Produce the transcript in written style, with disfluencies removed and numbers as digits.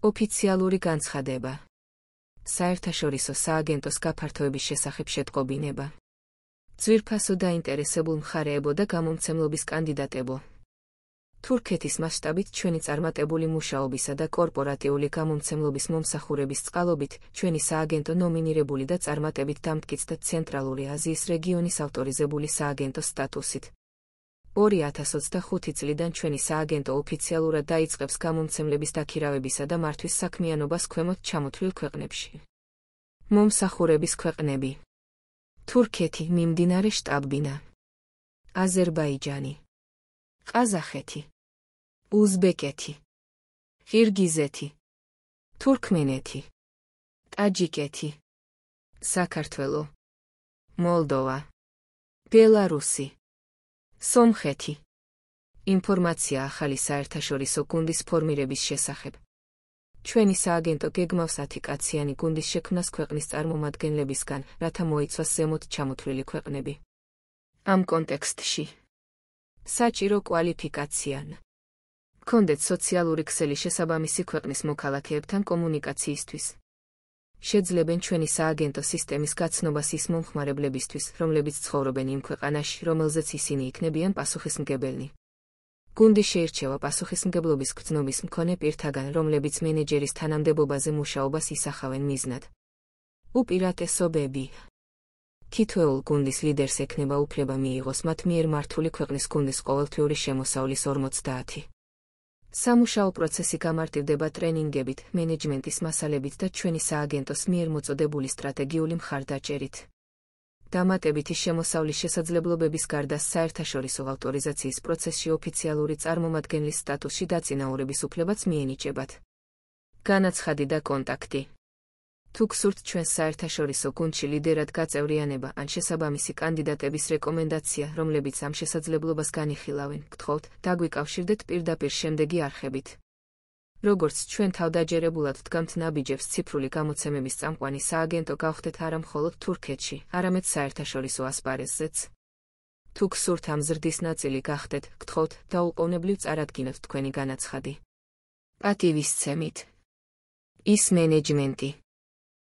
ოფიციალური განცხადება. საერთაშორისო სააგენტოს გაფართოების შესახებ შეტყობინება. ძვირფასო დაინტერესებულ მხარეებო და გამომცემლობის კანდიდატებო. თურქეთის მასშტაბით ჩვენი წარმატებული მუშაობისა და კორპორატიული გამომცემლობის მომსახურების წყალობით ჩვენი სააგენტო ნომინირებული და წარმატებით დამტკიცდა ცენტრალური აზიის რეგიონის ავტორიზებული სააგენტოს სტატუსით. 2025 წლიდან ჩვენი სააგენტო ოფიციალურად დაიწყებს გამომცემლების დაქირავებისა და მართვის საქმიანობას ქვემოთ ჩამოთვლილ ქვეყნებში. მომსახურების ქვეყნები: თურქეთი, მიმდინარე შტაბ-ბინა, აზერბაიჯანი, ყაზახეთი, უზბეკეთი, ყირგიზეთი, თურქმენეთი, ტაჯიკეთი, საქართველო, მოლდოვა, ბელარუსი, სომხეთი. ინფორმაცია ახალი საერთაშორისო გუნდის ფორმირების შესახებ. ჩვენი სააგენტო გეგმავს 10-კაციანი გუნდის შექმნას ქვეყნის წარმომადგენლებისგან, რათა მოიცვას ზემოთ ჩამოთვლილი ქვეყნები. ამ კონტექსტში საჭირო კვალიფიკაციან. გქონდეთ სოციალური ქსელი შესაბამისი ქვეყნის მოქალაქეებთან კომუნიკაციისთვის. შეძლებენ ჩვენი სააგენტო სისტემის გაცნობას ის მომხმარებლებისთვის, რომლებიც ცხოვრობენ იმ ქვეყანაში, რომელზეც ისინი იქნებიან პასუხისმგებელნი. გუნდი შეირჩევა პასუხისმგებლობის გრძნობის მქონე პირთაგან, რომლებიც მენეჯერის თანამდებობაზე მუშაობას ისახავენ მიზნად. უპირატესობები. თითოეულ გუნდის ლიდერს ექნება უფლება მიიღოს მათ მიერ მართული ქვეყნის გუნდის ყოველთვიური შემოსავლის 50. სამუშაო პროცესი გამარტივდება ტრენინგებით, მენეჯმენტის მასალებით და ჩვენი სააგენტოს მიერ მოწოდებული სტრატეგიული მხარდაჭერით. დამატებითი შემოსავლის შესაძლებლობების გარდა საერთაშორისო ავტორიზაციის პროცესში ოფიციალური წარმომადგენლის სტატუსში დაწინაურების უფლებაც მიენიჭებათ. განაცხადი და კონტაქტი. თუ გსურთ ჩვენს საერთაშორისო გუნდში ლიდერად გაწევრიანება ან შესაბამისი კანდიდატების რეკომენდაცია, რომლებიც ამ შესაძლებლობას განიხილავენ, გთხოვთ, დაგვიკავშირდეთ პირდაპირ შემდეგი არხებით. როგორც ჩვენ თავდაჯერებულად ვდგამთ ნაბიჯებს ციფრული გამოცემების წამყვანი სააგენტო გავხდეთ არა მხოლოდ თურქეთში, არამედ საერთაშორისო ასპარეზზეც. თუ გსურთ ამ ზრდის ნაწილი გახდეთ, გთხოვთ, დაუყოვნებლივ წარადგინოთ თქვენი განაცხადი. პატივისცემით. ის მენეჯმენტი.